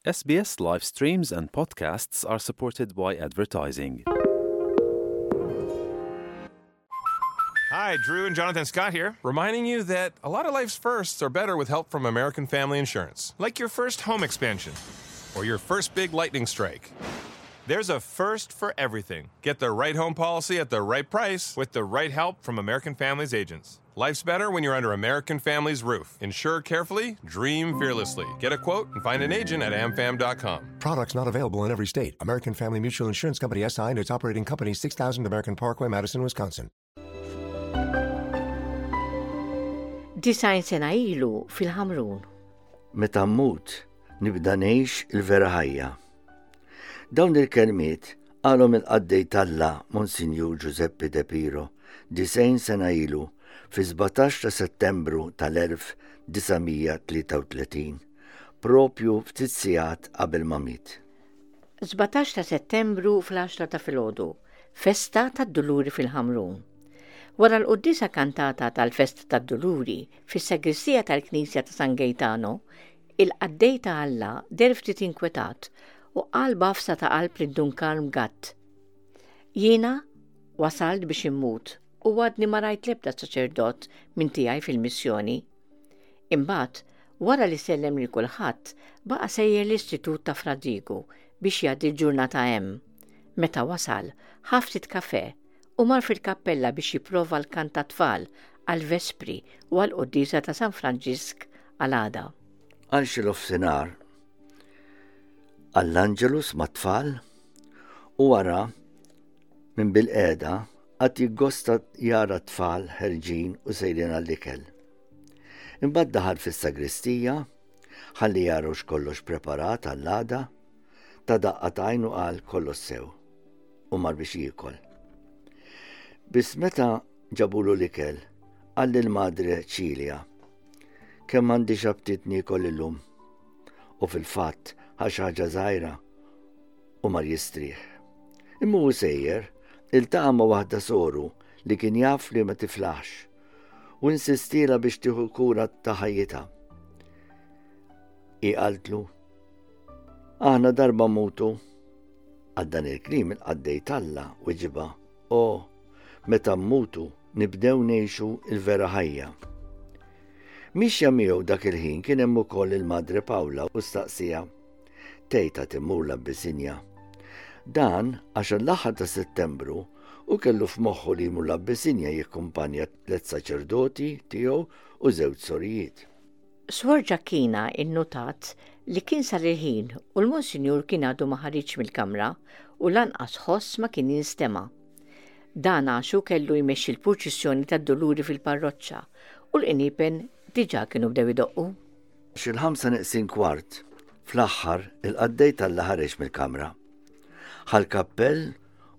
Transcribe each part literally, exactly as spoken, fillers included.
S B S live streams and podcasts are supported by advertising. Hi, Drew and Jonathan Scott here, reminding you that a lot of life's firsts are better with help from American Family Insurance. Like your first home expansion or your first big lightning strike. There's a first for everything. Get the right home policy at the right price with the right help from American Family's agents. Life's better when you're under American Family's roof. Insure carefully, dream fearlessly. Get a quote and find an agent at A M F A M dot com. Products not available in every state. American Family Mutual Insurance Company, S I and its operating company, six thousand American Parkway, Madison, Wisconsin. Disgħin sena ilu fil-Ħamrun. Meta mmut, nibda ngħix il-vera ħajja. Dawn il-kelmiet qalhom il-qaddej t'Alla Monsinjur Giuseppe De Piro disgħin sena ilu fi sbatax ta' Settembru tal-elf disa' mija tlieta u tletin, propju ftit sigħat qabel ma miet. Sbatax ta' Settembru fl-għaxra ta' filgħodu, festa tad-Duluri fil-Ħamrun. Wara l-quddiesa kantata tal-festa tad-Duluri fis-sagristija tal-Knisja ta' San Gaetano, il-qaddej ta' Alla deher ftit inkwetat u qal b'għafsa ta' qalb lil Dun Karm Gatt: "Jiena wasalt biex immut u għadni ma rajt lebda saċerdot minn tiegħi fil-missjoni." Imbagħad, wara li sellem lil kulħadd, baqa' sejjer l-Istitut ta' Fra Diegu biex jgħaddi l-ġurnata hemm. Meta wasal, ħa ftit kafè u mar fil-kappella biex jipprova l-kant tat-tfal għal-vespri u għal-quddiesa ta' San Franġisk għal-għada. Għal xi nofsinhar għall-Angelus mat-tfal u wara minn bilqiegħda qagħad jiggosta jara tfal ħerġin u sejrin għall-ikel. Imbagħad daħal fis-sagristija ħalli jara x'kollox preparat għall-għada, ta daqqa t'għajn u qal kollox sew u mar biex jiekol. Biss meta ġabulu l-ikel, qal lil Madre Ċilja: "Kemm għandi aptit niekol illum." U fil-fatt ħa xi ħaġa żgħira u mar jistrieħ. Imma hu sejjer, iltaqa' ma' waħda soru li kien jaf li ma tiflaħx u insistiela biex tieħu kura ta' ħajjitha. Hi qaltlu: "Aħna darba mmutu." Għal dan il-kliem il-qaddej t'Alla weġibha: "O, meta mmutu nibdew ngħixu il-vera ħajja." Mixja miegħu dak il-ħin kien hemm ukoll il-Madre Pawla u staqsiha tgħid għad immur l-Abbisinja. Dan għax l-aħħar ta' Settembru u kellu f'moħħu li jmur l-Abbisinja jikkumpanja tliet saċerdoti tiegħu u żewġ sorijiet. Swor Ġakina innotat li kien sar il-ħin u l-Monsinjur kien għadu ma ħariġ mill-kamra u lanqas ħoss ma kien jinstema'. Dan għax hu kellu jmexxi l-purċissjoni tad-Duluri fil-parroċċa u l-qniepen diġà kienu bdew idoqqu. Xil-ħamsa neqsin kwart, fl-aħħar il-qaddej t'Alla ħareġ mill-kamra. Ħa l-kappell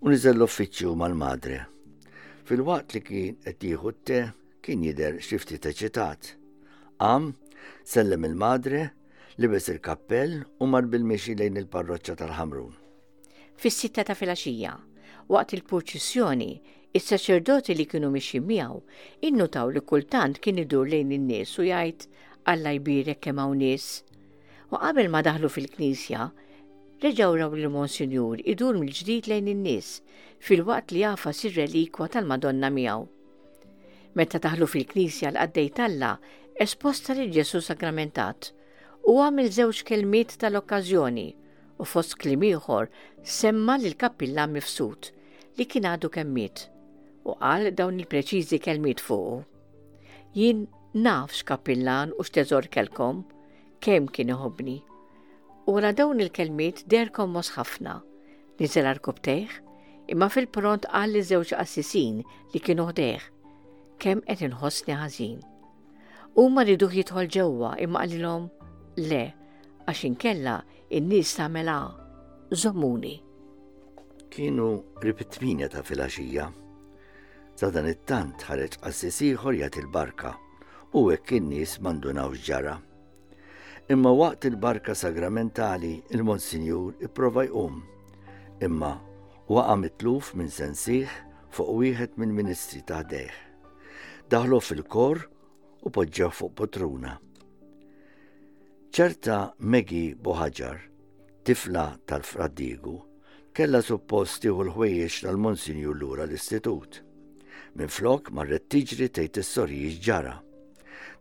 u niżel l-uffiċċju mal-madre. Filwaqt li kien qed jieħu t-te kien jidher xi ftit eċitat. Qam, sellem il-madre, libes il-kappell u mar bil-mixi lejn il-parroċċa tal-Ħamrun. Fis-sitta ta' filgħaxija, waqt il-purċissjoni, is-saċerdoti li kienu mixi miegħu innutaw li kultant kien idur lejn in-nies u jgħid: "Alla jbierek, kemm hawn nies." U qabel ma daħlu fil-knisja, reġgħu raw li Monsinjur idur mill-ġdid lejn in-nies filwaqt li jagħfas ir-relikwa tal-Madonna miegħu. Meta daħlu fil-knisja, l-qaddej t'Alla esposta lil Ġesu sagramentat u għamel żewġ kelmiet tal-okkażjoni u fost kliem ieħor semma lil kappillan Mifsud li kien għadu kemm miet u qal dawn il-preċiżi kelmiet fuqu: "Jien naf x'kappillan u x'teżor kellkom, kemm kien iħobbni." U wara dawn il-kelmiet deher kommos ħafna. Niżel għarkupptejh, imma fil-pront qal li żewġ qassisin li kienu ħdejh: "Kemm qed inħossni ħażin." Huma riduh jidħol ġewwa imma qalilhom: "Le, għax inkella in-nies tagħmel żommuni." Kienu qrib it-tmienja ta' filgħaxija. Sadanittant ħareġ qassis ieħor jagħti il-barka u hekk in-nies m'indunawx ġara. Imma waqt il-barka sagramentali il-Monsinjur ipprova jqum, imma waqa' mitluf minn sensih fuq wieħed mill-ministri ta' ħdejh. Daħlu fil-kor u poġġew fuq poltruna. Ċerta Maggie Boħaġar tifla tal-Fra Diegu, kella suppost tieħu l-ħwejjeġ tal-Monsinjur lura l-istitut. Minflok marret tiġri tgħid is-sorijiet x'ġara.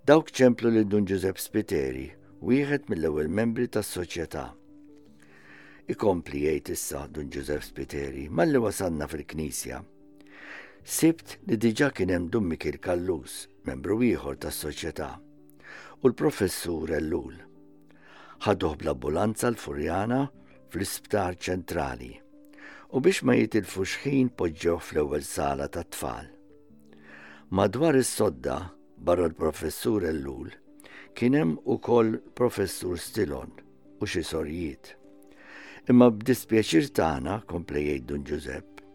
Dawk ċemplu lil Dun Ġużepp Spiteri, wieħed mill-ewwel membri tas-soċjetà. Ikompli jgħid issa Dun Ġużepp Spiteri, malli wasalna fil-knisja. Sibt li diġà kien hemm Dun Mikiel Callus, membru ieħor tas-soċjetà, u l-professur Ellul. Ħaduh bl-ambulanza l-Furjana fl-isptar ċentrali u biex ma jitilfux ħin poġġew fl-ewwel sala tat-tfal. Madwar is-sodda barra l-professur Ellul kien hemm ukoll professur Stilon u xi sorijiet. Imma b'dispjaċir tagħna, kompla jgħid Dun Ġużepp,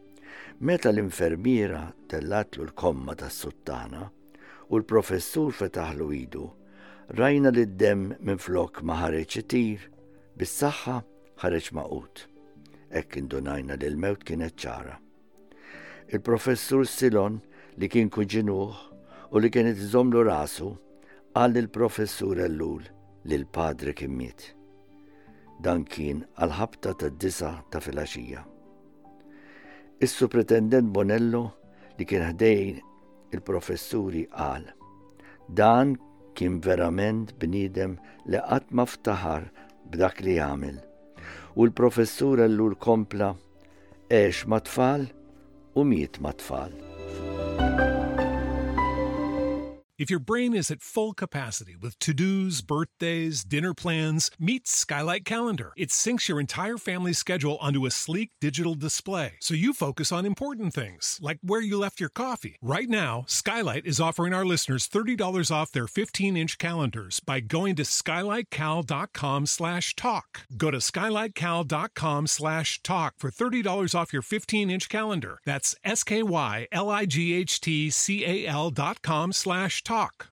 meta l-infermiera tellatlu l-komma tas-suttana u l-professur fetaħlu idu, rajna li d-demm minflok ma ħareġ itir, bis-saħħa ħareġ magħqud. Hekk indunajna li l-mewt kienet ċara. Il-professur Silon li kien kuġinuh u li kienet iżomlu rasu, qal lill-professur Ellul li l-padre kien miet. Dan kien għal-ħabta tad-disgħa ta' filgħaxija. Is-Supretendent Bonello li kien ħdejn il-professuri qal, dan kien verament bniedem li qatt ma ftaħar b'dak li għamel. U l-professur Ellul kompla għex mat-tfal u miet mat-tfal. If your brain is at full capacity with to-dos, birthdays, dinner plans, meet Skylight Calendar. It syncs your entire family's schedule onto a sleek digital display, so you focus on important things, like where you left your coffee. Right now, Skylight is offering our listeners thirty dollars off their fifteen-inch calendars by going to skylightcal.com slash talk. Go to skylightcal.com slash talk for thirty dollars off your fifteen-inch calendar. That's S K Y L I G H T C A L dot com slash talk.